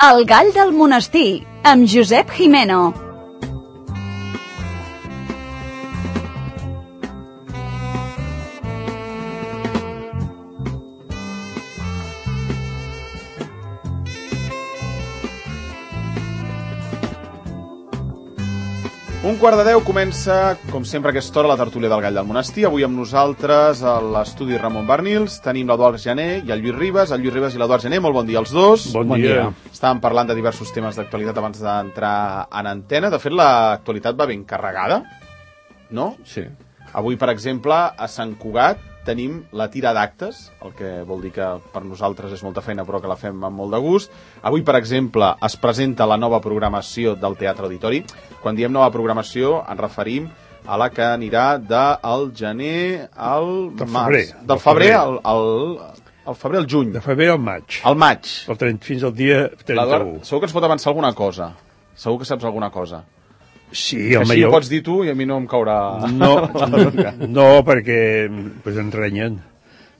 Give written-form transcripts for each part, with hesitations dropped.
El gall del monestir, amb Josep Jimeno. Un quart de 10 comença, com sempre a aquesta hora, la tertúlia del gall del monestir. Avui amb nosaltres a l'estudi Ramon Barnils tenim l'Eduard Gené i el Lluís Ribas. El Lluís Ribas i l'Eduard Gené, molt bon dia als dos. Bon dia. Estàvem parlant de diversos temes d'actualitat abans d'entrar en antena. De fet, l'actualitat va ben carregada, no? Sí. Avui, per exemple, a Sant Cugat tenim la tira d'actes, el que vol dir que per nosaltres és molta feina però que la fem amb molt de gust. Avui, per exemple, es presenta la nova programació del Teatre Auditori. Quan diem nova programació ens referim a la que anirà del gener al març. Del febrer al febrer al juny. De febrer al maig. Al maig. Fins al dia 31. Segur que ens pot avançar alguna cosa. Segur que saps alguna cosa. Sí, que així ho pots dir tu i a mi no em caurà... No, perquè pues ens renyen.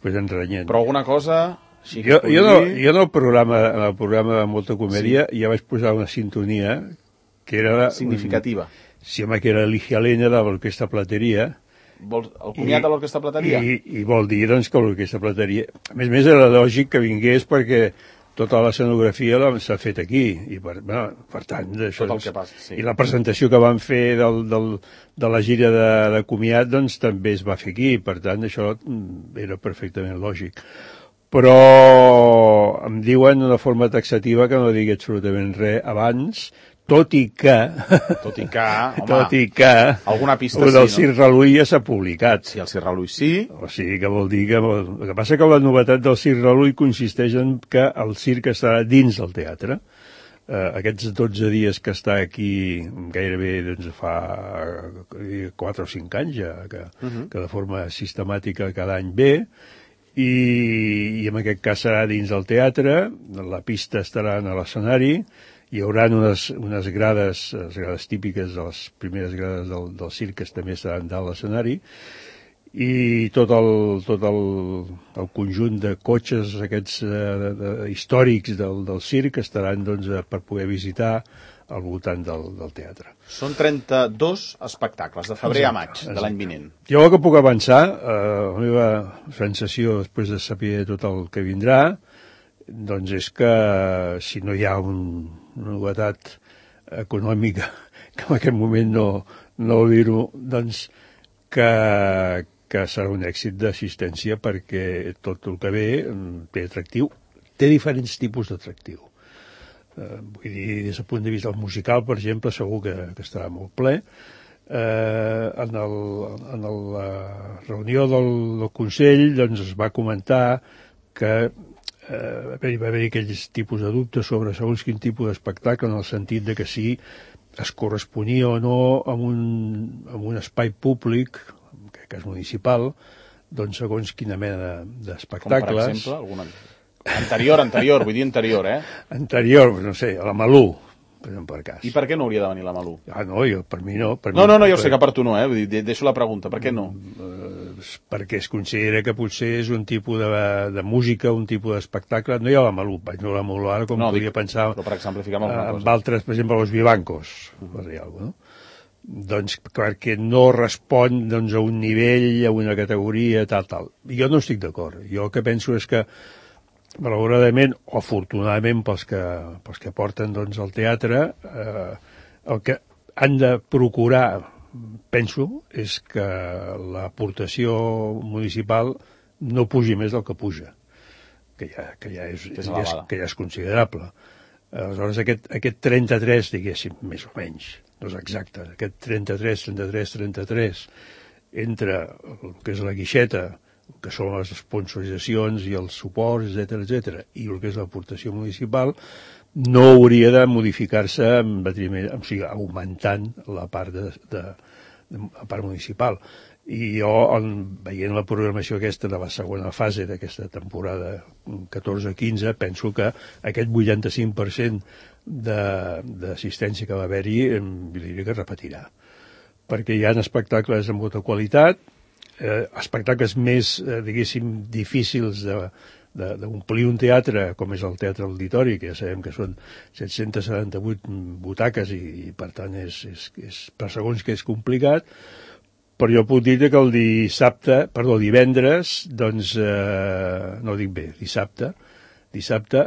Però alguna cosa... Jo en el programa de Molta Comèdia ja vaig posar una sintonia que era... significativa. Sí, home, que era Ligia Lena de l'Orquestra Plateria. El comiat de l'Orquestra Plateria? I vol dir, doncs, que l'Orquestra Plateria... A més, era lògic que vingués perquè tota l'escenografia s'ha fet aquí. I per tant, això, tot el que passa, sí. I la presentació que van fer de la gira de comiat, doncs, també es va fer aquí. Per tant, això era perfectament lògic. Però em diuen d'una forma taxativa que no digui absolutament res abans, tot i que alguna pista el del Circ Reluí ja s'ha publicat. Sí, el Circ Reluí sí. O sigui que vol dir que... El que passa que la novetat del Circ Reluí consisteix en que el circ estarà dins del teatre. Aquests 12 dies que està aquí gairebé doncs, fa 4 o 5 anys ja, que de forma sistemàtica cada any ve, i en aquest cas serà dins del teatre, la pista estarà a l'escenari, hi haurà unes grades, les grades típiques de les primeres grades del circ que també estaran dalt l'escenari, i tot el conjunt de cotxes aquests històrics del circ estaran doncs, per poder visitar al voltant del teatre. Són 32 espectacles, de febrer a maig de l'any vinent. Jo el que puc avançar, la meva sensació després de saber tot el que vindrà, doncs és que si no hi ha una novetat econòmica que en aquest moment no dir-ho, doncs que serà un èxit d'assistència perquè tot el que ve té atractiu, té diferents tipus d'atractiu. Vull dir, des del punt de vista musical, per exemple, segur que estarà molt ple. En la reunió del Consell doncs, es va comentar que va haver aquells tipus de dubtes sobre segons quin tipus d'espectacle, en el sentit de que si es corresponia o no amb un espai públic, en aquest cas municipal, doncs segons quina mena d'espectacles. Com, per exemple, alguna... Anterior, vull dir anterior, eh? Anterior, no sé, a la Malú, per cas. I per què no hauria de venir la Malú? No, per mi no. No, jo sé que per tu no, eh? Vull dir, deixo la pregunta, per què no? Perquè es considera que potser és un tipus de música, un tipus d'espectacle. No hi ha la Malú, vaig no la Malú ara, com podria pensar però per exemplificar amb altres, per exemple, els Vivancos, per dir alguna cosa, no? Doncs perquè no respon a un nivell, a una categoria, tal. Jo no estic d'acord. Jo el que penso és que malauradament o afortunadament pels que porten al teatre, el que han de procurar, penso, és que l'aportació municipal no pugi més del que puja, que ja és considerable. Aleshores, aquest 33, diguéssim, més o menys, no és exacte, aquest 33, entre el que és la guixeta, que són les sponsoritzacions i els suports, etc., i el que és l'aportació municipal, no hauria de modificar-se en detriment, o sigui, augmentant la part la part municipal. I jo, veient la programació aquesta de la segona fase d'aquesta temporada 14-15, penso que aquest 85% d'assistència que va haver-hi, diria que repetirà. Perquè hi ha espectacles amb molta qualitat, espectacles més, diguéssim, difícils d'omplir un teatre com és el Teatre Auditori, que ja sabem que són 778 butaques i per tant per segons que és complicat, però jo puc dir que el divendres, doncs, no ho dic bé, dissabte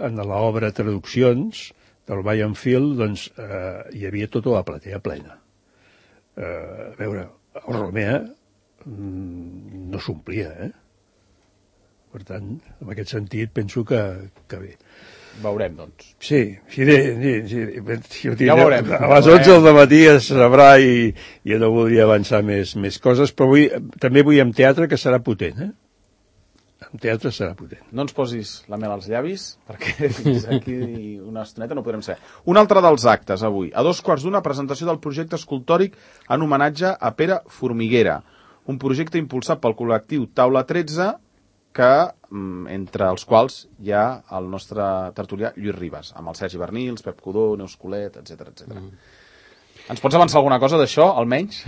en l'obra Traduccions del Bayern Field, doncs, hi havia tota la platea plena. A veure, el Romea no s'omplia, Per tant, en aquest sentit, penso que bé. Veurem, doncs. Sí, ja veurem. A les 11 del matí es sabrà i jo no voldria avançar més coses, però també vull en teatre que serà potent, En teatre serà potent. No ens posis la mel als llavis, perquè fins aquí una estoneta no podrem ser. Un altre dels actes avui. A 2:15, presentació del projecte escultòric en homenatge a Pere Formiguera. Un projecte impulsat pel col·lectiu Taula 13, que, entre els quals hi ha el nostre tertulià Lluís Ribas, amb el Sergi Bernils, Pep Codó, Neus Colet, etc. Ens pots avançar alguna cosa d'això, almenys?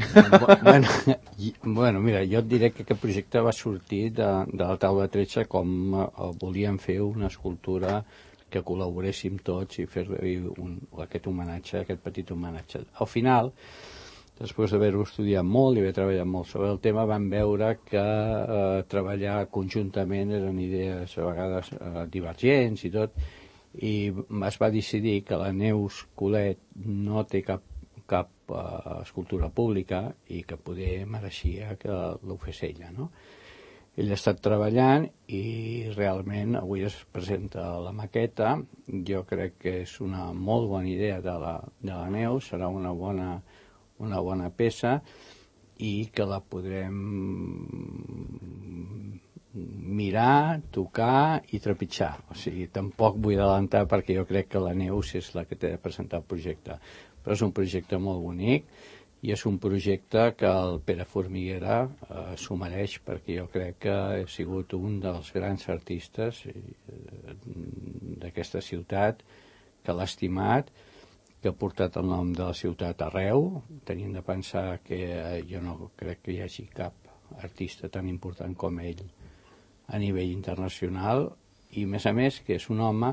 Bueno, mira, jo et diré que aquest projecte va sortir de la Taula 13 com volíem fer una escultura que col·laboréssim tots i fer-li aquest homenatge, aquest petit homenatge. Al final, després d'haver-ho estudiat molt i haver treballat molt sobre el tema, vam veure que treballar conjuntament eren idees a vegades divergents i tot, i es va decidir que la Neus Colet no té cap escultura pública i que poder mereixia que l'ho fes ella, no? Ell ha estat treballant i realment avui es presenta la maqueta. Jo crec que és una molt bona idea de la Neus, serà una bona peça i que la podrem mirar, tocar i trepitjar. O sigui, tampoc vull adelantar perquè jo crec que la Neus és la que té de presentar el projecte. Però és un projecte molt bonic i és un projecte que el Pere Formiguera s'ho mereix, perquè jo crec que ha sigut un dels grans artistes d'aquesta ciutat, que l'ha estimat, que ha portat el nom de la ciutat arreu, tenint de pensar que jo no crec que hi hagi cap artista tan important com ell a nivell internacional, i a més que és un home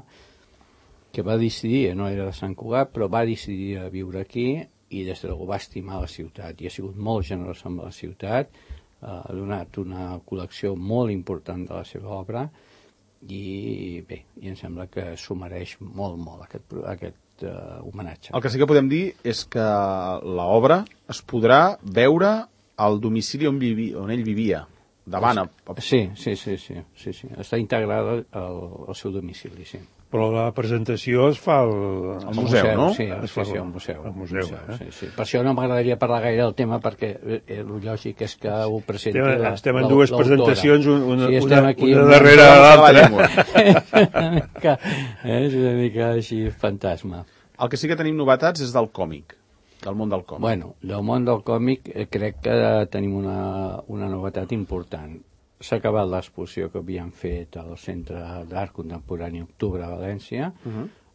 que va decidir, no era de Sant Cugat, però va decidir a viure aquí i des de va estimar la ciutat i ha sigut molt generós amb la ciutat, ha donat una col·lecció molt important de la seva obra i bé, i em sembla que s'ho mereix molt aquest homenatge. El que sí que podem dir és que l'obra es podrà veure al domicili on ell vivia, davant. Sí. Està integrada al seu domicili, sí. Però la presentació es fa al museu, no? Sí, al museu. Sí. Per això no m'agradaria parlar gaire del tema, perquè el lògic és que ho presenti l'autora. Estem en dues presentacions, una darrere l'altra. És una mica així fantasma. El que sí que tenim novetats és del còmic, del món del còmic. Bueno, del món del còmic crec que tenim una novetat important. S'ha acabat l'exposició que havíem fet al Centre d'Art Contemporani Octubre a València,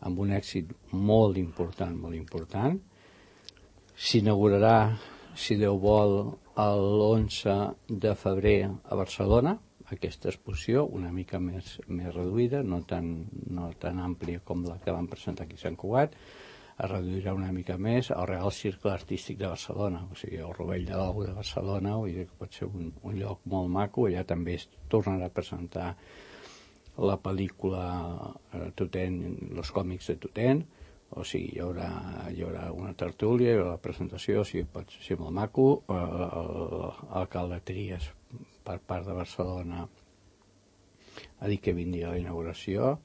amb un èxit molt important. S'inaugurarà, si Déu vol, l'11 de febrer a Barcelona, aquesta exposició, una mica més reduïda, no tan àmplia com la que vam presentar aquí a Sant Cugat. Es reduirà una mica més al Real Circle Artístic de Barcelona, o sigui, el Rovell de l'Ou de Barcelona, vull dir que pot ser un lloc molt maco. Allà també es tornarà a presentar la pel·lícula Totent, els còmics de Totent, o sigui, hi haurà una tertúlia, hi haurà la presentació, o sigui, pot ser molt maco. L'alcalde Trias, per part de Barcelona, ha dit que vindria a la inauguració.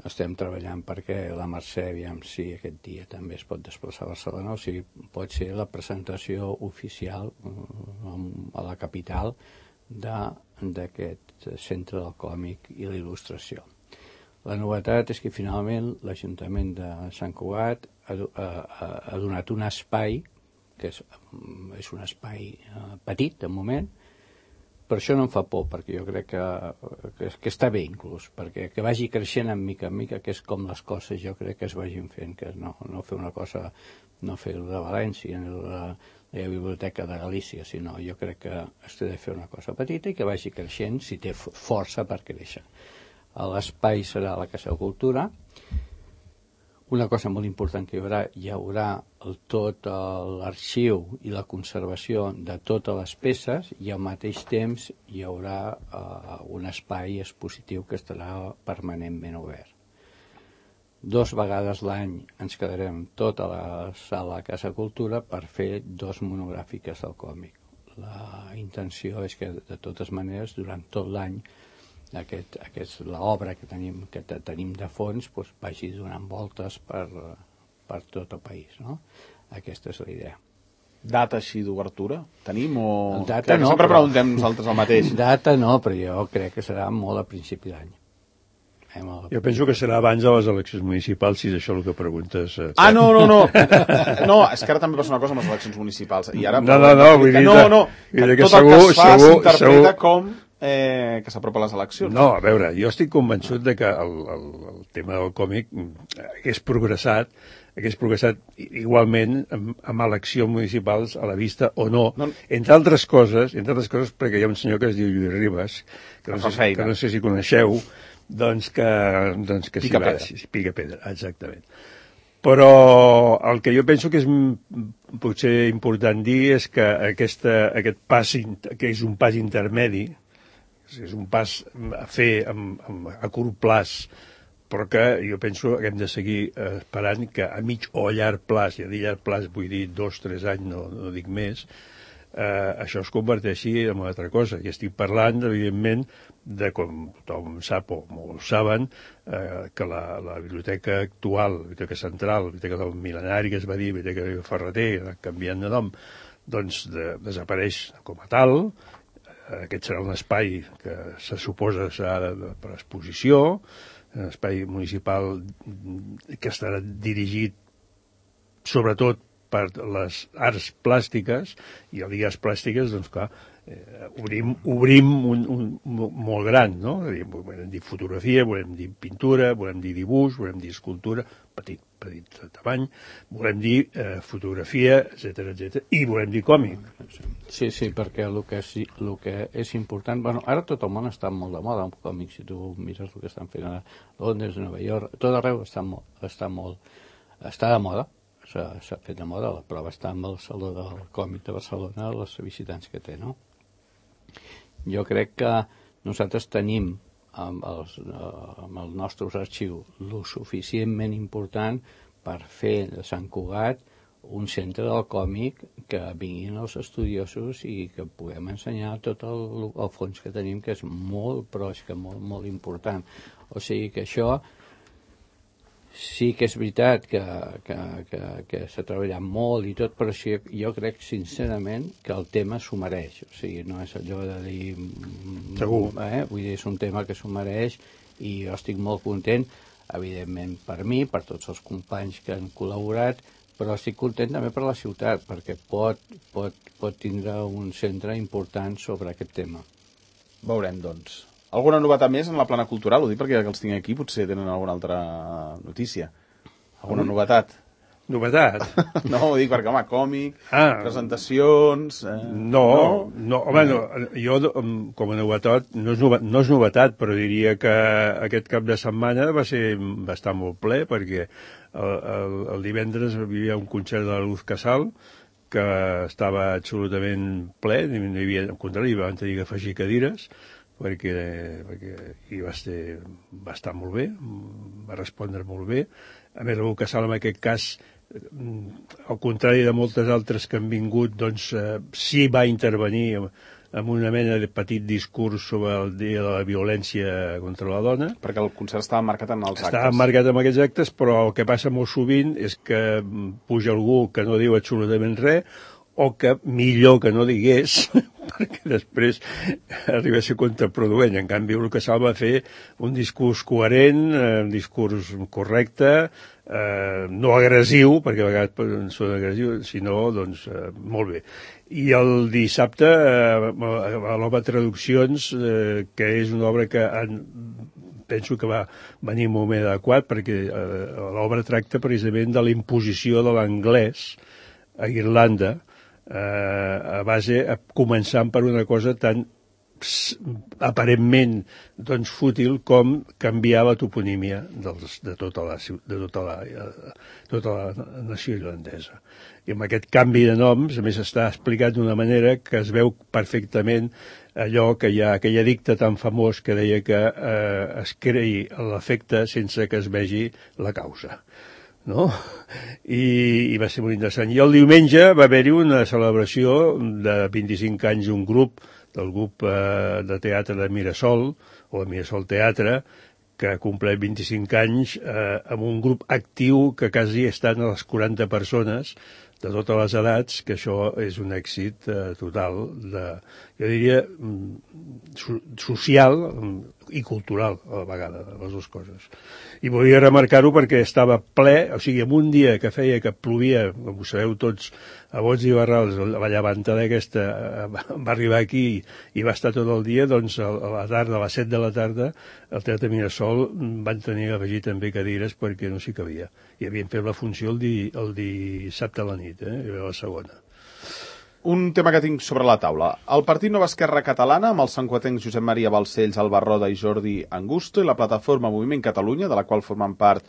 Estem treballant perquè la Mercè, aviam si aquest dia també es pot desplaçar a Barcelona, o sigui, pot ser la presentació oficial a la capital d'aquest centre del còmic i l'il·lustració. La novetat és que finalment l'Ajuntament de Sant Cugat ha donat un espai, que és un espai petit de moment. Per això no em fa por, perquè jo crec que està bé inclús, perquè que vagi creixent en mica, que és com les coses jo crec que es vagin fent, que no fer una cosa, no fer de València, la Biblioteca de Galícia, sinó jo crec que es té de fer una cosa petita i que vagi creixent si té força per créixer. l'espai serà la Casa de Cultura. Una cosa molt important que hi haurà tot l'arxiu i la conservació de totes les peces, i al mateix temps hi haurà un espai expositiu que estarà permanentment obert. 2 vegades l'any ens quedarem tota la sala de Casa Cultura per fer 2 monogràfiques del còmic. La intenció és que, de totes maneres, durant tot l'any, l'obra que tenim de fons vagi donant voltes per tot el país, no? Aquesta és la idea. Data així d'obertura? Tenim o... Data no, sempre preguntem nosaltres el mateix. Data no, però jo crec que serà molt a principi d'any. Jo penso que serà abans de les eleccions municipals, si és això el que preguntes. No. No, és que ara també passa una cosa amb les eleccions municipals. I ara No, vull dir que tot el que es fa s'interpreta com que s'apropa a les eleccions. No, a veure, jo estic convençut de que el tema del còmic hagués progressat igualment amb eleccions municipals a la vista o no. Entre altres coses, perquè hi ha un senyor que es diu Lluís Ribas, que no sé si coneixeu, doncs que pica pedra, exactament. Però el que jo penso que és potser important dir és que aquest pas, que és un pas intermedi, és un pas a fer a curt plaç, però que jo penso que hem de seguir esperant que a mig o a llarg plaç, i a dir llarg plaç vull dir 2-3 anys, no dic més, això es converteixi en una altra cosa. I estic parlant, evidentment, de, com tothom sap o molts saben, que la biblioteca actual, la biblioteca central, la biblioteca del Mil·lenari, que es va dir biblioteca de Ferreter, canviant de nom, doncs desapareix com a tal. Aquest serà un espai que se suposa serà per exposició, un espai municipal que estarà dirigit sobretot per les arts plàstiques, i al dir arts plàstiques, doncs clar, obrim un molt gran, no? Volem dir fotografia, volem dir pintura, volem dir dibuix, volem dir escultura, petit tamany, volem dir fotografia, etc, i volem dir còmic. Sí, perquè el que és important... Bueno, ara tot el món està molt de moda amb còmics, si tu mires el que estan fent a Londres, a Nova York, tot arreu està de moda. S'ha fet de moda, la prova està amb el Saló del Còmic de Barcelona, els visitants que té, no? Jo crec que nosaltres tenim amb els nostres arxius lo suficientment important per fer de Sant Cugat un centre del còmic que vinguin els estudiosos i que puguem ensenyar tot el fons que tenim, que és molt, però és que molt important. O sigui que això sí que és veritat que s'ha treballat molt i tot, però sí, jo crec sincerament que el tema s'ho mereix. O sigui, no és allò de dir... Segur. Vull dir, és un tema que s'ho mereix i jo estic molt content, evidentment per mi, per tots els companys que han col·laborat, però estic content també per la ciutat, perquè pot tindre un centre important sobre aquest tema. Veurem, doncs. Alguna novetat més en la plana cultural? Ho dic perquè els tinc aquí, potser tenen alguna altra notícia. Alguna novetat? Novetat? No, ho dic perquè, home, còmic, presentacions... No, home, jo com a novetat, no és novetat, però diria que aquest cap de setmana va estar molt ple, perquè el divendres hi havia un concert de la Luz Casal, que estava absolutament ple, al contrari, van tenir que afegir cadires, perquè hi va estar molt bé, va respondre molt bé. A més, el Casal, en aquest cas, al contrari de moltes altres que han vingut, doncs sí va intervenir amb una mena de petit discurs sobre el dia de la violència contra la dona. Perquè el concert estava marcat en els actes. Estava marcat en aquests actes, però el que passa molt sovint és que puja algú que no diu absolutament res, o que millor que no digués, perquè després arriba a ser contraproduent. En canvi, el Casal va fer un discurs coherent, un discurs correcte, no agressiu, perquè a vegades són agressius, sinó, doncs, molt bé. I el dissabte, a l'Obra Traduccions, que és una obra que penso que va venir un moment adequat, perquè l'obra tracta precisament de la imposició de l'anglès a Irlanda, començant per una cosa tan aparentment doncs, fútil com canviar la toponímia de tota la nació irlandesa. I amb aquest canvi de noms, a més, està explicat d'una manera que es veu perfectament allò que hi ha, aquell edicte tan famós que deia que es creï l'efecte sense que es vegi la causa. No? I va ser molt interessant. I el diumenge va haver-hi una celebració de 25 anys d'un grup, del grup de teatre de Mirasol, o de Mirasol Teatre, que compleix 25 anys amb un grup actiu que quasi estan a les 40 persones de totes les edats, que això és un èxit total, jo diria, social i cultural, a la vegada, les dues coses. I volia remarcar-ho perquè estava ple, o sigui, en un dia que feia que plovia, com ho sabeu tots, a bots i barrals, la llevantada aquesta va arribar aquí i va estar tot el dia, doncs a la tarda, a les 7 de la tarda, al Teatre Mirasol van tenir que afegir també cadires perquè no s'hi cabia. I havien fet la funció el dissabte a la nit, era la segona. Un tema que tinc sobre la taula. El Partit Nova Esquerra Catalana, amb els sancuatencs Josep Maria Balcells, Alba Roda i Jordi Angusto, i la plataforma Moviment Catalunya, de la qual formen part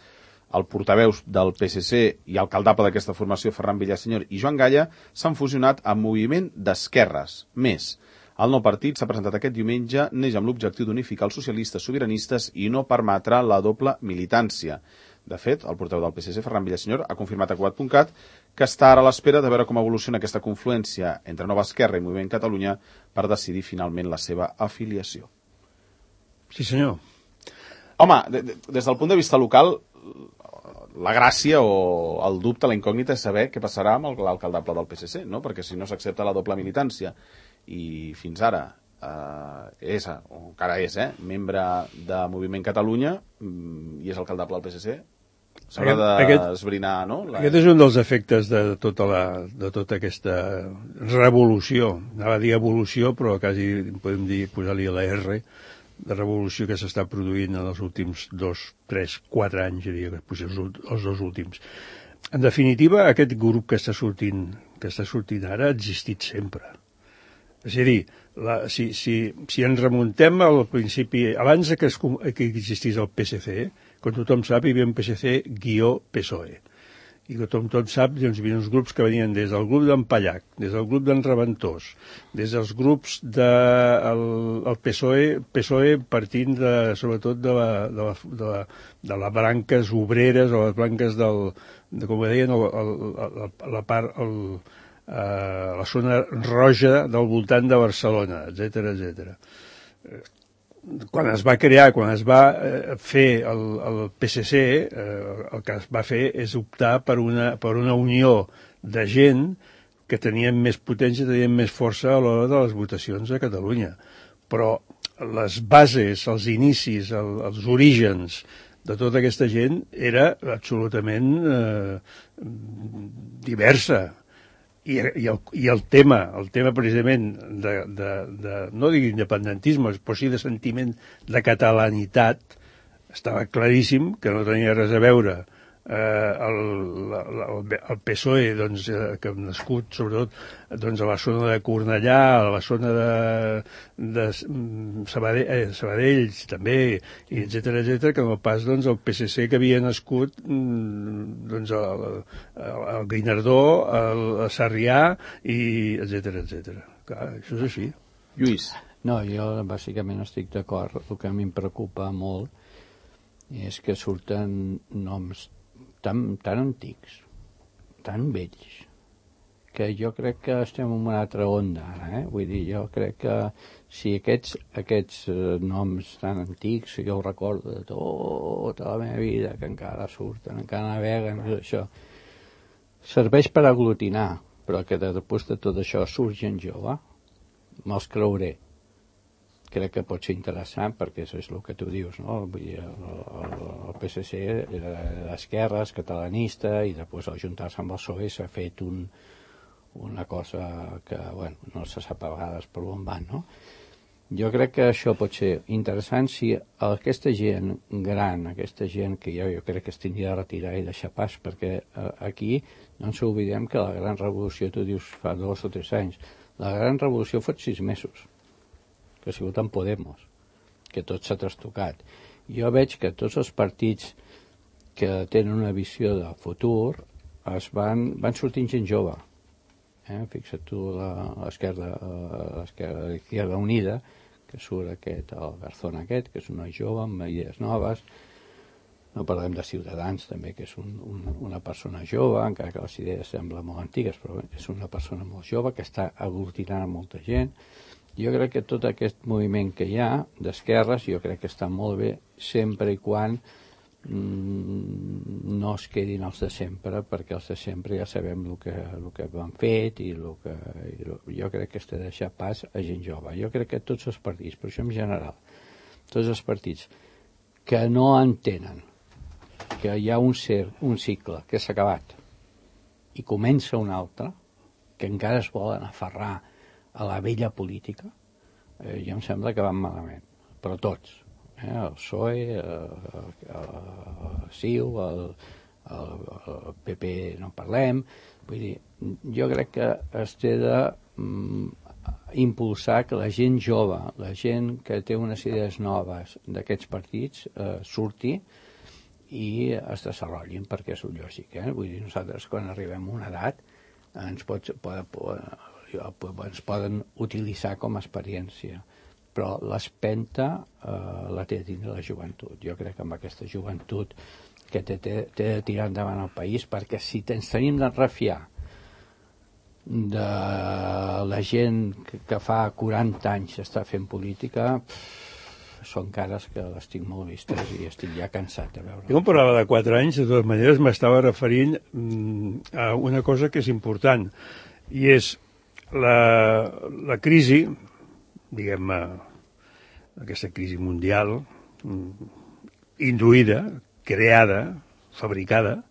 el portaveus del PSC i alcaldable d'aquesta formació, Ferran Villasenyor i Joan Galla, s'han fusionat amb Moviment d'Esquerres. Més, el nou partit s'ha presentat aquest diumenge, neix amb l'objectiu d'unificar els socialistes sobiranistes i no permetre la doble militància. De fet, el portaveu del PSC, Ferran Villasenyor, ha confirmat a Cugat.cat que està ara a l'espera de veure com evoluciona aquesta confluència entre Nova Esquerra i Moviment Catalunya per decidir finalment la seva afiliació. Sí, senyor. Home, des del punt de vista local, la gràcia o el dubte, la incògnita és saber què passarà amb l'alcaldable del PSC, no? Perquè si no s'accepta la doble militància i fins ara és, o encara és, membre de Moviment Catalunya i és alcaldable del PSC, s'haurà d'esbrinar, no? Aquest és un dels efectes de tota aquesta revolució, anava a dir evolució, però quasi podem dir, posar-li la R, de revolució que s'està produint en els últims 2, 3, 4 anys, diria que potser els dos últims. En definitiva, aquest grup que està sortint ara ha existit sempre. És a dir, si ens remuntem al principi, abans que existís el PSC, com tothom sap, hi havia un PSC-PSOE. I com tothom sap, doncs, hi havia uns grups que venien des del grup d'en Pallac, des del grup d'en Reventós, des dels grups del PSOE partint sobretot de les branques obreres o les branques com ho deien, la zona roja del voltant de Barcelona, etc. Quan es va fer el PSC, el que es va fer és optar per una unió de gent que tenien més potència, tenien més força a l'hora de les votacions a Catalunya. Però les bases, els inicis, els orígens de tota aquesta gent era absolutament diversa. I el tema precisament no dic independentisme, però sí de sentiment de catalanitat, estava claríssim que no tenia res a veure el PSOE, doncs, que ha nascut sobretot doncs, a la zona de Cornellà, a la zona de Sabadell també, etc., que no pas doncs, el PSC que havia nascut doncs, el Guinardó, el Sarrià, etc. Clar, això és així. Lluís. No, jo bàsicament estic d'acord. El que a mi em preocupa molt és que surten noms tan antics, tan vells, que jo crec que estem en una altra onda ara, Vull dir, jo crec que si aquests noms tan antics, jo ho recordo de tota la meva vida, que encara surten, encara naveguen, això, serveix per aglutinar, però que després de tot això surt gent jove, me'ls creuré. Crec que pot ser interessant perquè això és el que tu dius, no? Vull dir, el PSC era d'esquerres, catalanista, i després al juntar-se amb el PSOE s'ha fet una cosa que, bueno, no se sap a vegades per on van, no? Jo crec que això pot ser interessant si aquesta gent gran, aquesta gent que jo crec que es tindria de retirar i deixar pas, perquè aquí no ens oblidem que la gran revolució, tu dius fa 2 o 3 anys, la gran revolució fot 6 mesos. que ha sigut en Podemos, que tot s'ha trastocat. Jo veig que tots els partits que tenen una visió de futur van sortint gent jove. Fixa't tu l'Izquierda Unida, que surt el Garzón aquest, que és un noi jove amb idees noves. No parlem de Ciutadans, també, que és una persona jove, encara que les idees semblen molt antigues, però és una persona molt jove que està aglutinant molta gent. Jo crec que tot aquest moviment que hi ha d'esquerres, jo crec que està molt bé, sempre i quan no es quedin els de sempre, perquè els de sempre ja sabem el que han fet i jo crec que s'ha de deixar pas a gent jove. Jo crec que tots els partits, però això en general, tots els partits que no entenen que hi ha un cicle que s'ha acabat i comença un altre, que encara es volen aferrar a la vella política, ja em sembla que van malament, però tots. El PSOE, el CiU, el PP no en parlem. Vull dir, jo crec que es té d'impulsar que la gent jove, la gent que té unes idees noves d'aquests partits, surti i es desenvolupin, perquè és lògic. Vull dir, nosaltres quan arribem a una edat ens poden utilitzar com a experiència, però l'espenta la té de tindre la joventut. Jo crec que amb aquesta joventut que té de tirar endavant el país, perquè si ens tenim de refiar de la gent que fa 40 anys està fent política, són cares que les tinc molt vistes i estic ja cansat de veure. Jo quan parlava de 4 anys, de totes maneres m'estava referint a una cosa que és important, i és la crisi, diguem-ne, aquesta crisi mundial, induïda, creada, fabricada,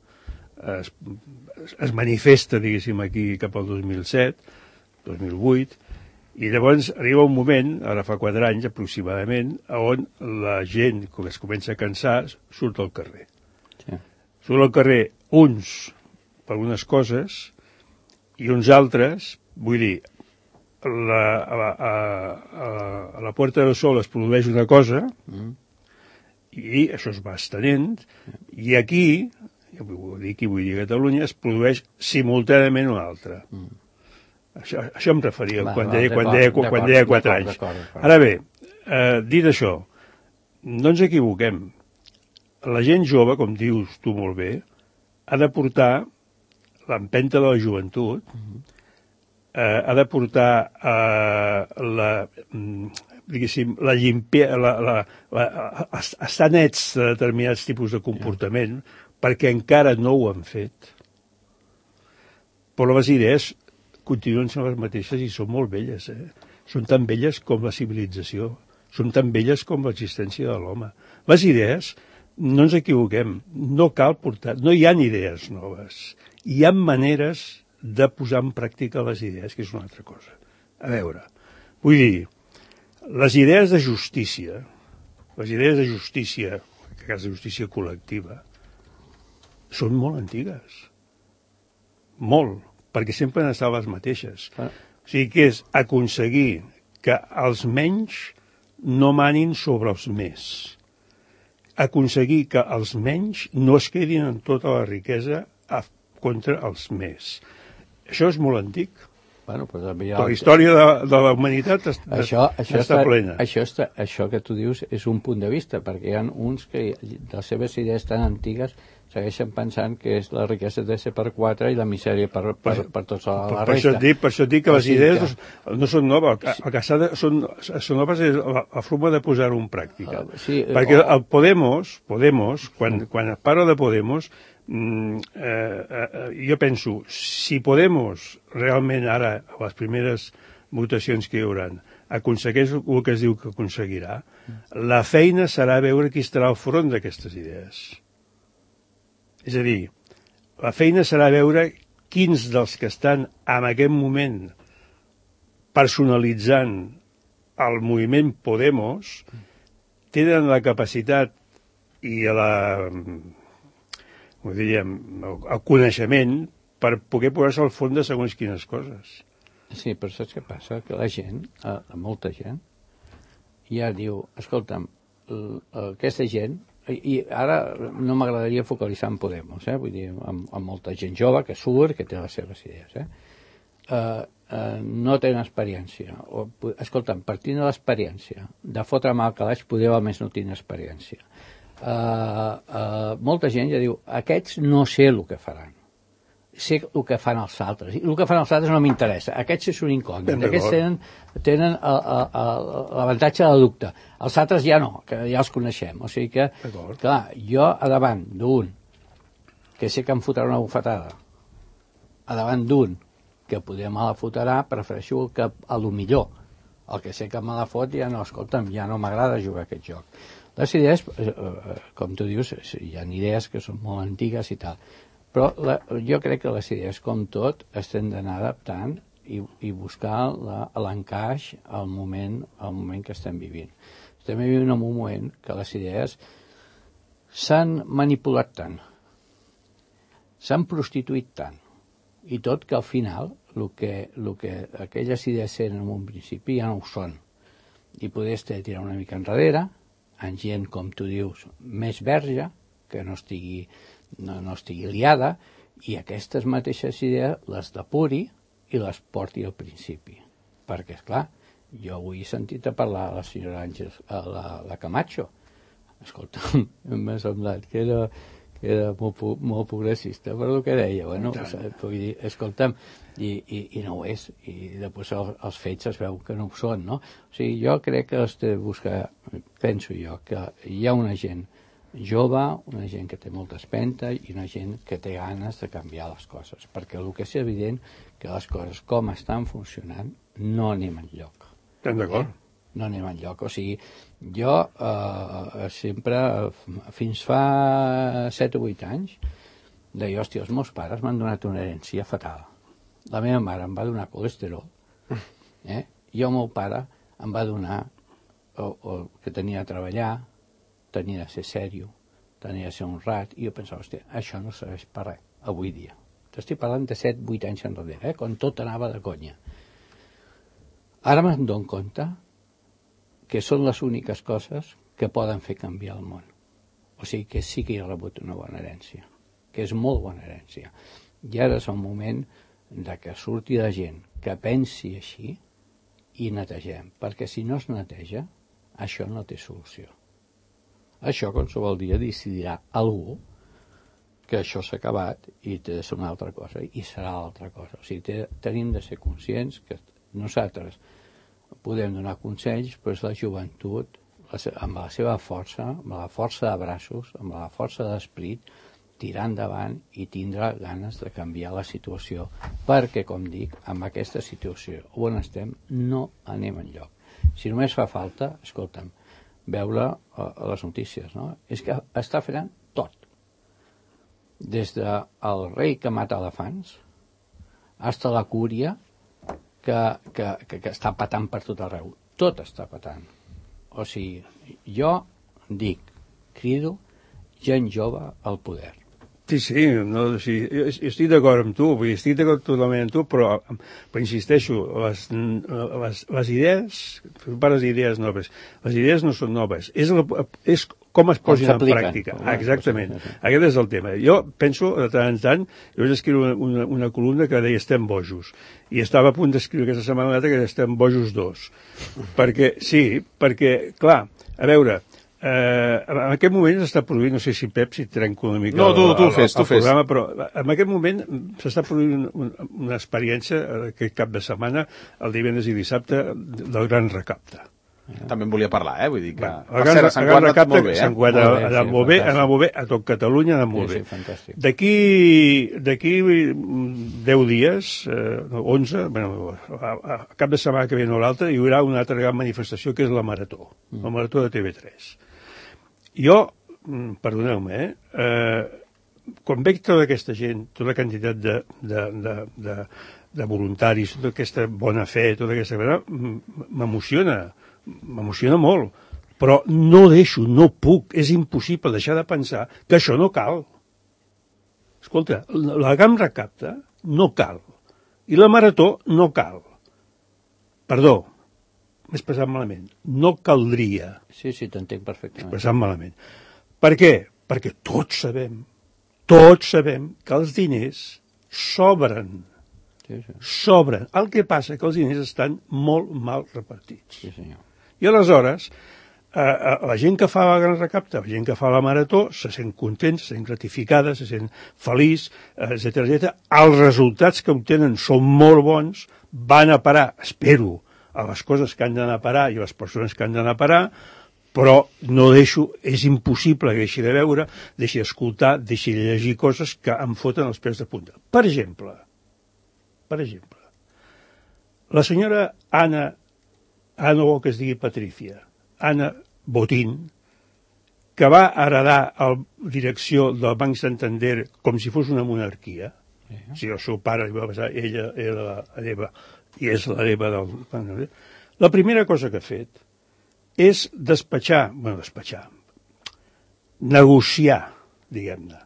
es manifesta, diguéssim, aquí cap al 2007, 2008, i llavors arriba un moment, ara fa 4 anys aproximadament, on la gent, quan es comença a cansar, surt al carrer. Sí. Surt al carrer uns per unes coses i uns altres, vull dir, a la Puerta del Sol es produeix una cosa i això es va estenent, i aquí, vull dir a Catalunya, es produeix simultàniament una altra. Això em referia quan deia 4 anys. Ara bé, dit això, no ens equivoquem. La gent jove, com dius tu molt bé, ha de portar l'empenta de la joventut, ha de portar la llimpia, estar nets de determinats tipus de comportament, perquè encara no ho han fet. Però les idees continuen sent les mateixes i són molt velles. Són tan velles com la civilització, són tan velles com l'existència de l'home. Les idees, no ens equivoquem, no cal portar, no hi ha idees noves. Hi ha maneres de posar en pràctica les idees, que és una altra cosa. A veure, vull dir, les idees de justícia, en aquest cas de justícia col·lectiva, són molt antigues. Molt, perquè sempre han estat les mateixes. O sigui que és aconseguir que els menys no manin sobre els més. Aconseguir que els menys no es quedin en tota la riquesa contra els més. Això és molt antic. Bueno, però la història de la humanitat està plena. Això que tu dius és un punt de vista, perquè hi ha uns que les seves idees tan antigues segueixen pensant que és la riquesa de ser per 4 i la misèria per tota la resta. Per això dic que les idees no són noves. El que són noves és la forma de posar-ho en pràctica. Perquè el Podemos, quan parla de Podemos, jo penso, si Podemos realment ara, a les primeres votacions que hi haurà, aconsegueix el que es diu que aconseguirà, la feina serà veure qui estarà al front d'aquestes idees. És a dir, la feina serà veure quins dels que estan en aquest moment personalitzant el moviment Podemos tenen la capacitat i el coneixement per poder posar-se al fons de segons quines coses. Sí, però saps què passa? Que la gent, molta gent, ja diu, escolta'm, aquesta gent, i ara no m'agradaria focalitzar en Podemos, vull dir, amb molta gent jove que surt, que té les seves idees, no tenen experiència. Escolta'm, partint de l'experiència, de fotre mal calaix, podeu almenys no tenir experiència. Molta gent ja diu, aquests no sé el que faran. Sé el que fan els altres. I el que fan els altres no m'interessa. Aquests és un incògnit. Aquests tenen l'avantatge de la dubte. Els altres ja no, que ja els coneixem. O sigui que, clar, jo a davant d'un que sé que em fotrà una bufetada, a davant d'un que poder me la fotrà, prefereixo que a lo millor el que sé que me la fot ja no, escolta'm, ja no m'agrada jugar aquest joc. Les idees, com tu dius, hi ha idees que són molt antigues i tal, però jo crec que les idees, com tot, estem d'anar adaptant i buscar l'encaix al moment que estem vivint. Estem vivint en un moment que les idees s'han manipulat tant, s'han prostituït tant, i tot que al final el que aquelles idees eren en un principi ja no ho són. I poder tirar una mica enrere, en gent, com tu dius, més verge, que no estigui liada, i aquestes mateixes idees les depuri i les porti al principi. Perquè, esclar, jo avui he sentit a parlar a la senyora Àngels, a la Camacho. Escolta, m'ha semblat que era molt progressista per el que deia. Bueno, vull dir, escolta'm, i no ho és. I després els fets es veu que no ho són, no? O sigui, jo crec que has de buscar, penso jo, que hi ha una gent jove, una gent que té molta espenta i una gent que té ganes de canviar les coses, perquè el que és evident que les coses com estan funcionant no anem enlloc. Estem d'acord. No anem enlloc. O sigui, jo sempre, fins fa 7 o 8 anys, deia, hòstia, els meus pares m'han donat una herència fatal. La meva mare em va donar colesterol, i el meu pare em va donar que tenia de treballar, tenia de ser sèrio, tenia de ser honrat, i jo pensava, hòstia, això no serveix per res, avui dia. T'estic parlant de 7-8 anys enrere, quan tot anava de conya. Ara me'n dono compte que són les úniques coses que poden fer canviar el món. O sigui que sí que he rebut una bona herència, que és molt bona herència. I ara és el moment de que surti la gent que pensi així i netegem, perquè si no es neteja, això no té solució. Això qualsevol dia decidirà algú que això s'ha acabat i té de ser una altra cosa, i serà l'altra cosa. O sigui, tenim de ser conscients que nosaltres podem donar consells, però és la joventut, amb la seva força, amb la força de braços, amb la força d'esperit, tirar endavant i tindrà ganes de canviar la situació, perquè, com dic, amb aquesta situació on estem no anem enlloc. Si només fa falta, escolta'm, veure a les notícies, no? És que està fent tot. Des del rei que mata elefants fins a la cúria que està patant per tot arreu. Tot està patant. O sigui, jo dic, crido gent jove al poder. Sí, no, sí, jo estic d'acord amb tu, estic d'acord totalment amb tu, però insisteixo, les idees, les idees noves, les idees no són noves, és com es posin en pràctica. Exactament, aquest és el tema. Jo penso, de tant en tant, jo vaig escriure una columna que deia estem bojos, i estava a punt d'escriure aquesta setmana que estem bojos 2, perquè, clar, a veure, en aquest moment s'està produint, no sé si Pep, si trenco una mica tu fes. Programa, però en aquest moment s'està produint una experiència aquest cap de setmana, el divendres i dissabte, del gran recapte. També en volia parlar, vull dir que... El gran recapte s'ha anat molt bé, a tot Catalunya ha anat molt bé. D'aquí 10 dies, 11, a cap de setmana que ve o l'altre, hi haurà una altra gran manifestació que és la Marató, la Marató de TV3. Jo, perdoneu-me, quan veig tota aquesta gent, tota la quantitat de voluntaris, tota aquesta bona fe, tota aquesta cosa, m'emociona molt, però no deixo, no puc, és impossible deixar de pensar que això no cal. Escolta, la gran recapte no cal, i la Marató no cal. Perdó, expressat malament. No caldria. Sí, t'entenc perfectament. Expressat malament. Per què? Perquè tots sabem que els diners sobren. Sí. Sobren. El que passa que els diners estan molt mal repartits. Sí, senyor. I aleshores, la gent que fa la gran recapta, la gent que fa la marató, se sent content, se sent gratificada, se sent feliç, etc. Els resultats que obtenen són molt bons, van a parar, espero, a les coses que han d'anar a parar i a les persones que han d'anar a parar, però no deixo, és impossible que deixi de veure, deixi d'escoltar, deixi de llegir coses que em foten els peus de punta. Per exemple, la senyora Ana vol que es digui Patricia, Ana Botín, que va heredar la direcció del Banc Santander com si fos una monarquia. Si el seu pare li va passar, ella era l'hereva, i és l'hereva del Banc Santander. La primera cosa que ha fet és negociar, diguem-ne,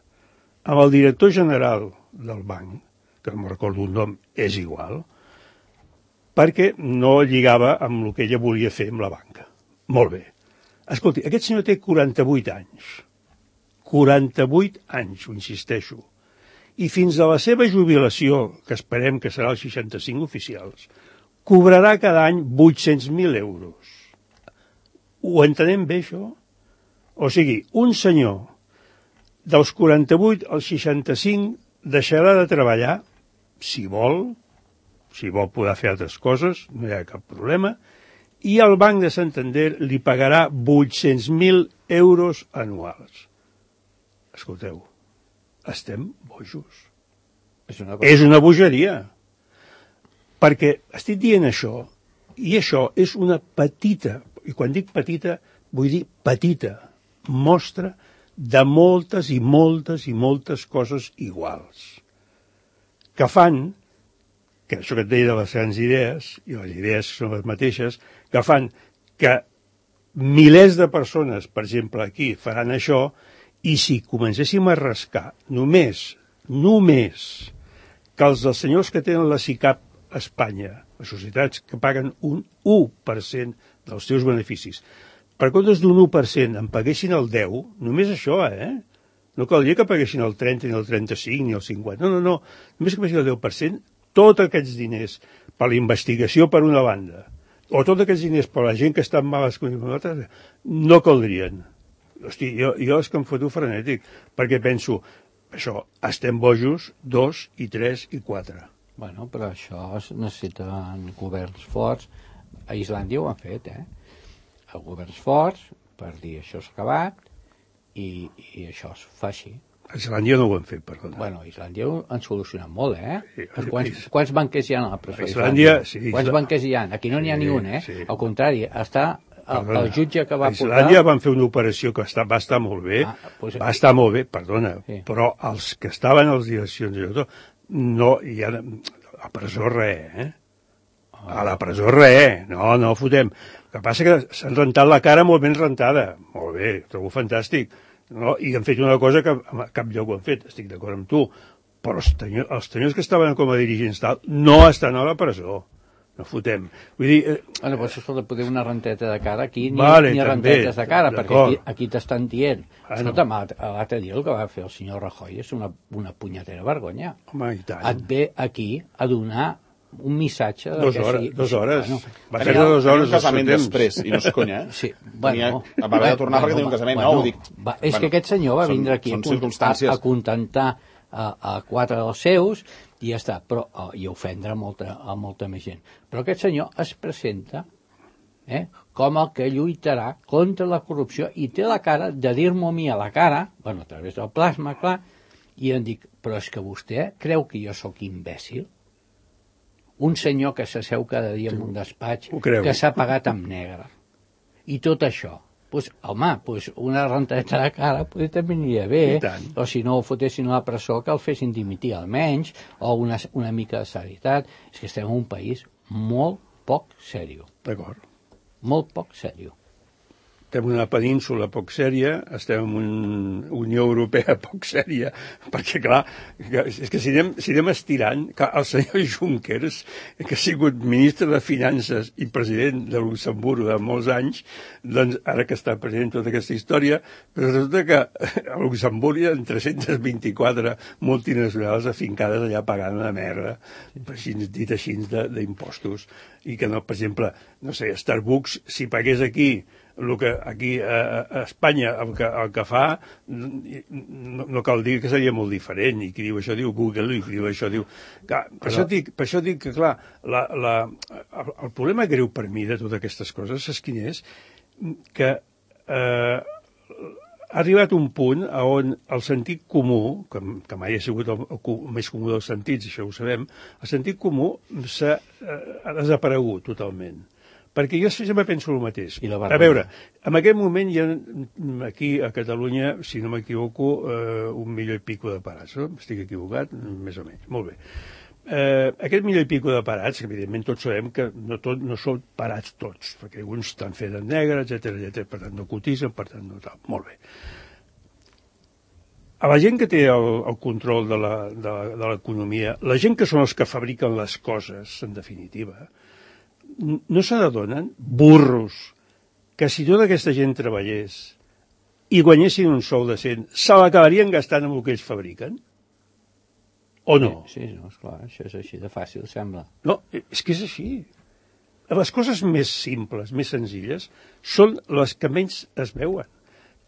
amb el director general del banc, que no me'n recordo un nom, és igual, perquè no lligava amb el que ella volia fer amb la banca. Molt bé. Escolti, aquest senyor té 48 anys. 48 anys, ho insisteixo. I fins a la seva jubilació, que esperem que serà els 65 oficials, cobrarà cada any 800.000 euros. Ho entenem bé, això? O sigui, un senyor dels 48 als 65 deixarà de treballar, si vol poder fer altres coses, no hi ha cap problema, i el Banc de Santander li pagarà 800.000 euros anuals. Escolteu, estem bojos. És una bogeria. Perquè estic dient això, i això és una petita, i quan dic petita, vull dir petita, mostra de moltes i moltes i moltes coses iguals, que fan, que això que et deia de les grans idees, i les idees són les mateixes, que fan que milers de persones, per exemple, aquí, faran això, i si comencéssim a rascar només que els dels senyors que tenen la SICAP a Espanya, les societats que paguen un 1% dels seus beneficis, per comptes d'un 1% en paguessin el 10%, només això, No caldria que paguessin el 30, ni el 35, ni el 50. No. Només que paguessin el 10%, tots aquests diners per la investigació per una banda, o tots aquests diners per la gent que està en males condicions, no caldrien. Hosti, jo és que em foto frenètic, perquè penso, això, estem bojos, 2, i 3, i 4. Bueno, però això es necessiten governs forts. A Islàndia ho han fet, a governs forts, per dir això s'ha acabat, i això es fa així. A Islàndia no ho han fet, perdona. Bueno, a Islàndia ho han solucionat molt, Quants banquers hi ha a la presó? A Islàndia, sí. Quants banquers hi ha? Aquí no n'hi ha ni un, Sí. Al contrari, està el jutge que va portar... A Islàndia van fer una operació que va estar molt bé, va estar molt bé, perdona, sí. Però els que estaven a les direccions i tot, no hi ha... A presó res, A la presó res, no fotem. El que passa que s'han rentat la cara molt ben rentada. Molt bé, trobo fantàstic. No? I han fet una cosa que a cap lloc ho han fet, estic d'acord amb tu. Però els senyors que estaven com a dirigents tal no estan a la presó. No fotem. Vull dir... Bueno, doncs escolta, poder una renteta de cara aquí, ni rentetes de cara, perquè aquí t'estan dient. Escolta'm, l'altre dia el que va fer el senyor Rajoy és una punyetera vergonya. Home, i tant. Et ve aquí a donar un missatge... 2 hores. Bueno, va fer 2 hores. Un casament després, i no és conya, Sí, bueno... Va haver de tornar perquè tenia un casament nou, dic... És que aquest senyor va vindre aquí a contentar a 4 dels seus i ja està, però, i ofendre a molta més gent. Però aquest senyor es presenta com el que lluitarà contra la corrupció i té la cara de dir-m'ho a mi a la cara, bueno, a través del plasma, clar, i em dic, però és que vostè creu que jo sóc imbècil? Un senyor que s'asseu cada dia en un despatx, que s'ha pagat amb negre. I tot això. Pues, home, una renteta de cara també aniria bé, o si no ho fotessin a la presó que el fessin dimitir almenys, o una mica de seriositat. És que estem en un país molt poc sèrio. D'acord. Molt poc sèrio. estem en una península poc sèria, estem en una Unió Europea poc sèria, perquè, clar, és que si anem estirant, clar, el senyor Junckers, que ha sigut ministre de Finances i president de Luxemburg de molts anys, doncs ara que està president tota aquesta història, però resulta que a Luxemburg hi ha 324 multinacionals afincades allà pagant una merda, dit així, d'impostos, i que no, per exemple, no sé, Starbucks, si pagués aquí el que aquí a Espanya el que fa, no cal dir que seria molt diferent, i qui diu això diu Google, i qui diu això diu... Clar, per això dic que, clar, el problema greu per mi de totes aquestes coses és quin és, que ha arribat un punt on el sentit comú, que mai ha sigut el més comú dels sentits, això ho sabem, el sentit comú ha desaparegut totalment. Perquè jo sempre penso el mateix. A veure, en aquest moment hi ha aquí a Catalunya, si no m'equivoco, 1 milió i pico de parats, no? Estic equivocat? Més o menys. Molt bé. Aquest milió i pico de parats, evidentment tots sabem que no són parats tots, perquè alguns estan fets en negre, etc, per tant no cotitzen, per tant no tal. Molt bé. A la gent que té el control de l'economia, la gent que són els que fabriquen les coses, en definitiva, no se n'adonen, burros, que si tota aquesta gent treballés i guanyessin un sou decent, se l'acabarien gastant amb el que ells fabriquen? O no? Sí, no, esclar, això és així de fàcil, sembla. No, és que és així. Les coses més simples, més senzilles, són les que menys es veuen.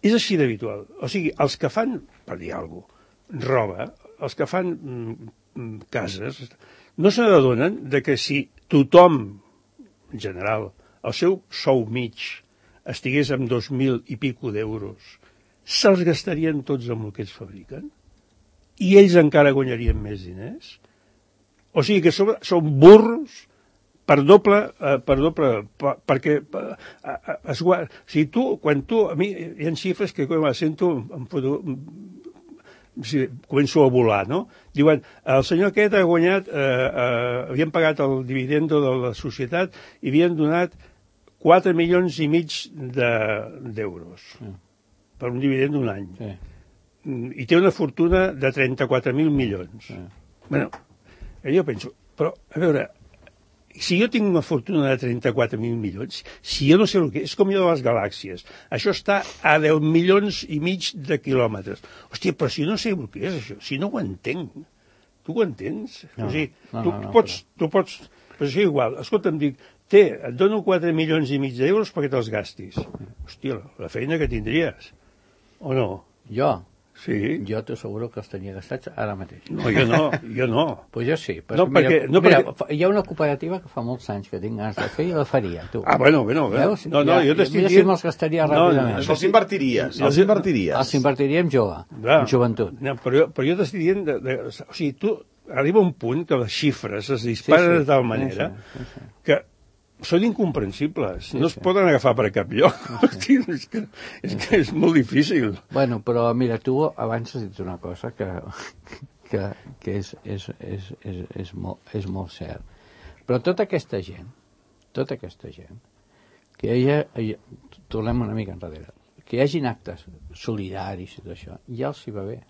És així d'habitual. O sigui, els que fan, per dir alguna cosa, roba, els que fan cases, no se n'adonen que si tothom, en general, el seu sou mig estigués amb 2.000 i pico d'euros, se'ls gastarien tots amb el que ells fabriquen? I ells encara guanyarien més diners? O sigui que són burros per doble, perquè si quan tu, a mi hi ha xifres que quan les sento començo a volar, no? Diuen, el senyor aquest ha guanyat, havien pagat el dividendo de la societat i havien donat 4 milions i mig d'euros per un dividend d'un any. Sí. I té una fortuna de 34.000 milions. Sí. Bueno, jo penso, però, a veure, si jo tinc una fortuna de 34.000 milions, si jo no sé el que és, com allò de les galàxies, això està a 10 milions i mig de quilòmetres. Hòstia, però si no sé el que és això, si no ho entenc, tu ho entens? No, o sigui, tu pots, però és igual, escolta'm, dic, et dono 4 milions i mig d'euros perquè te'ls gastis. Hòstia, la feina que tindries, o no? Jo? Sí. Jo t'asseguro que els tenia gastats ara mateix. No, jo no. Pues jo sí. Però mira, hi ha una cooperativa que fa molts anys que tinc ganes de fer i la faria, tu. Ah, bueno. No, jo t'estic dient... Mira si me'ls gastaria ràpidament. Els invertiries. Els invertiria en jove, en joventut. No, però jo t'estic dient... O sigui, tu arriba un punt que les xifres es disparen de tal manera que són incomprensibles, no es poden agafar per cap lloc. Hòstia, és que és molt difícil. Bueno, però mira, tu abans has dit una cosa que és molt cert. Però tota aquesta gent, que tornem una mica enrere, que hi hagin actes solidaris i tot això, ja els hi va bé.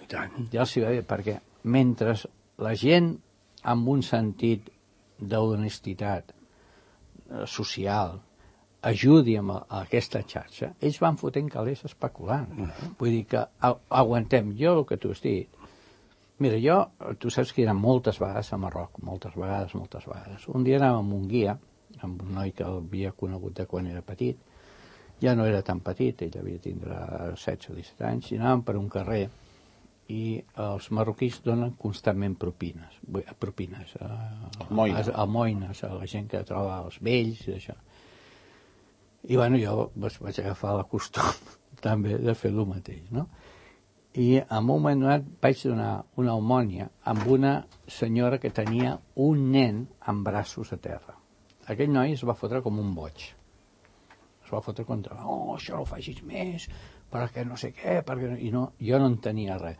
I tant. Ja els hi va bé, perquè mentre la gent amb un sentit d'honestitat social ajudi amb aquesta xarxa, ells van fotent calés especulant. Vull dir que aguantem. Jo el que tu has dit, mira, tu saps que he anat moltes vegades a Marroc, moltes vegades. Un dia anàvem amb un guia, amb un noi que havia conegut de quan era petit, ja no era tan petit, ell havia tindre 16 o 17 anys, i anàvem per un carrer i els marroquins donen constantment propines almoines a la gent que troba els vells i això. I bueno, jo vaig agafar la costum també de fer el mateix, no? I en un moment donat vaig donar una almònia amb una senyora que tenia un nen amb braços a terra. Aquell noi es va fotre com un boig. Es va fotre contra, això no ho facis més, perquè no sé què, i no, jo no entenia res.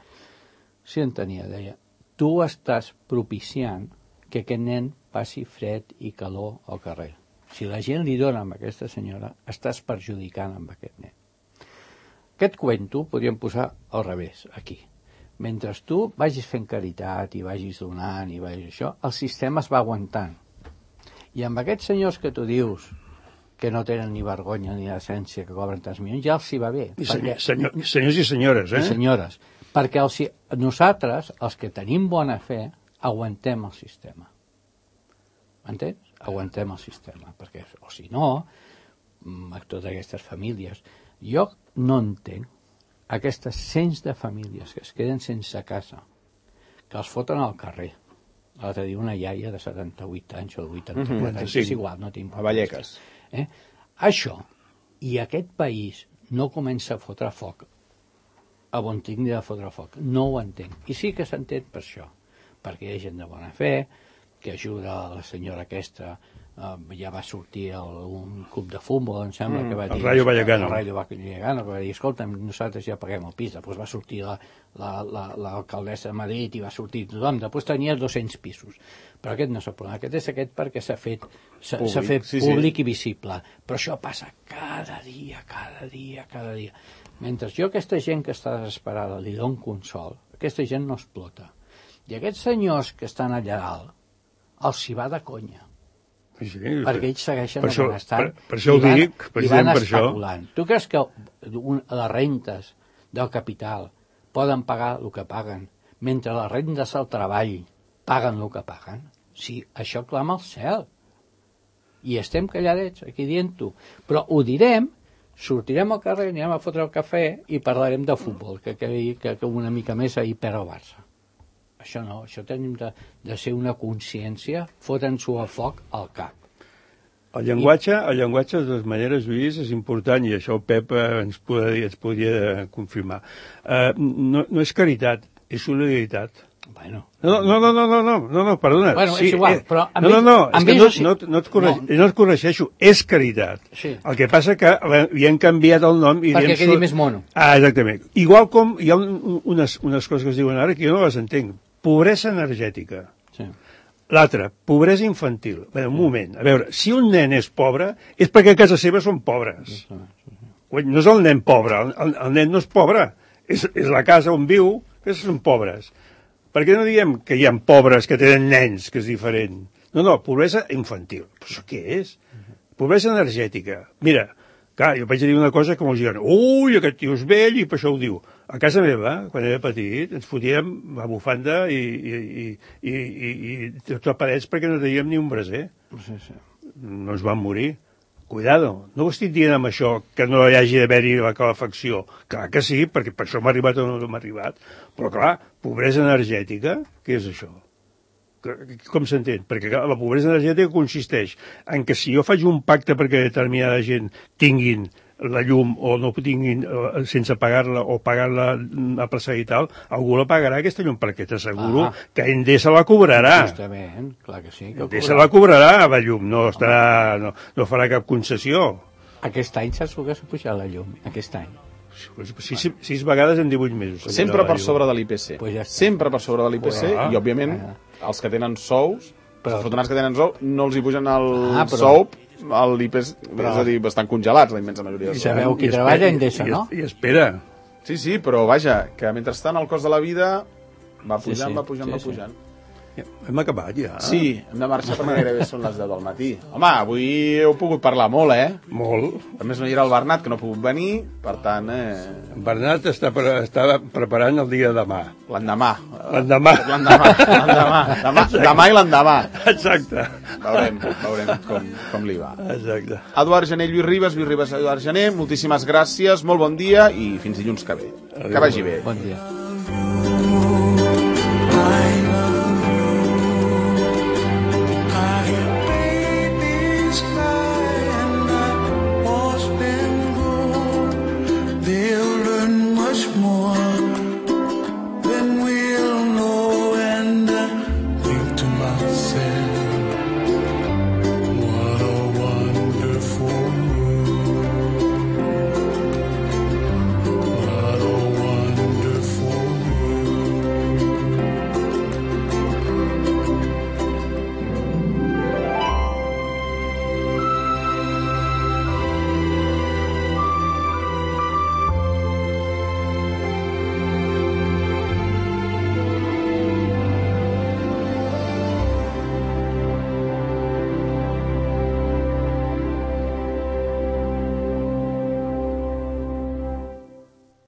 Sí entenia, deia, tu estàs propiciant que aquest nen passi fred i calor al carrer. Si la gent li dona amb aquesta senyora, estàs perjudicant amb aquest nen. Aquest cuento podríem posar al revés, aquí. Mentre tu vagis fent caritat i vagis donant i vagis això, el sistema es va aguantant. I amb aquests senyors que tu dius que no tenen ni vergonya ni decència, que cobren tants milions, ja els hi va bé. Senyors i senyores, I senyores. Perquè nosaltres, els que tenim bona fe, aguantem el sistema. M'entens? Aguantem el sistema. Perquè, o si no, totes aquestes famílies... Jo no entenc aquestes cents de famílies que es queden sense casa, que els foten al carrer. L'altre dia una iaia de 78 anys o de 84 anys, és igual, no tinc... A Vallecas. Això, i aquest país no comença a fotre foc a on tingui de fotre foc. No ho entenc. I sí que s'entén per això, perquè hi ha gent de bona fe, que ajuda a la senyora aquesta, ja va sortir un club de futbol, em sembla que va dir... El Rayo Vallecano. El Rayo Vallecano, que va dir, escolta'm, nosaltres ja paguem el pis. Després va sortir l'alcaldessa de Madrid i va sortir tothom. Després tenia 200 pisos. Però aquest no és el problema. Aquest és aquest perquè s'ha fet públic i visible. Però això passa cada dia. Mentre jo aquesta gent que està desesperada li dono consol, aquesta gent no explota. I aquests senyors que estan allà dalt, els hi va de conya. Sí, perquè ells segueixen benestant per això ho dic, i van especulant. Tu creus que les rentes del capital poden pagar el que paguen, mentre les rendes del treball paguen el que paguen? Sí, això clama al cel. I estem calladets aquí dient-ho. Però ho direm, sortirem al carrer, anirem a fotre el cafè i parlarem de futbol, que una mica més ahir per al Barça. Això no, això tenim de ser una consciència, foten-s'ho a foc al cap. El llenguatge, de totes maneres, Lluís, és important, i això el Pep ens podria confirmar. No és caritat, és solidaritat. Bueno. No, perdona. Bueno, és igual, però... No et corregeixo, és caritat. Sí. El que passa que li han canviat el nom... Perquè quedi més mono. Exactament. Igual com hi ha unes coses que es diuen ara que jo no les entenc. Pobresa energètica. Sí. L'altra, pobresa infantil. Bé, un moment, a veure, si un nen és pobre, és perquè a casa seva són pobres. No és el nen pobre, el nen no és pobre, és la casa on viu, que són pobres. Per què no diem que hi ha pobres que tenen nens, que és diferent? No, pobresa infantil. Però això què és? Pobresa energètica. Mira, clar, jo vaig dir una cosa que molts diuen, ui, aquest tio és vell i per això ho diu. A casa meva, quan era petit, ens fotíem a bufanda i tots aparells perquè no teníem ni un braser. Sí. No ens vam morir. Cuidado, no ho estic dient amb això que no hi hagi d'haver-hi la calefacció. Clar que sí, perquè per això m'ha arribat o no m'ha arribat. Però clar, pobresa energètica, què és això? Com s'entén? Perquè la pobresa energètica consisteix en que si jo faig un pacte perquè determinada gent tinguin la llum o no tinguin sense pagar-la o pagar-la a plaçar i tal, algú la pagarà aquesta llum, perquè t'asseguro que Endesa la cobrarà. Justament, clar que sí. Endesa la cobrarà, la llum, no farà cap concessió. Aquest any saps el que s'ha pujat la llum? Aquest any. 6 vegades en 18 mesos. Sempre per sobre de l'IPC. Pues ja sempre per sobre de l'IPC i, òbviament, els que tenen sous, els afortunats que tenen sous, no els hi pugen el sou, l'IPC, és a dir, bastant congelats, la immensa majoria de sous. I sabeu qui treballa Endesa, no? I espera. Sí, però vaja, que mentrestant el cost de la vida va pujant, va pujant. Hem acabat ja. Sí, hem de marxar perquè gairebé són les 10 del matí. Home, avui heu pogut parlar molt, Molt. A més no hi era el Bernat, que no ha pogut venir, per tant... En Bernat està preparant el dia de demà. L'endemà. Demà i l'endemà. Exacte. Veurem com li va. Exacte. Eduard Gené, Lluís Ribas, Eduard Gené, moltíssimes gràcies, molt bon dia i fins dilluns que ve. Que vagi bé. Bon dia.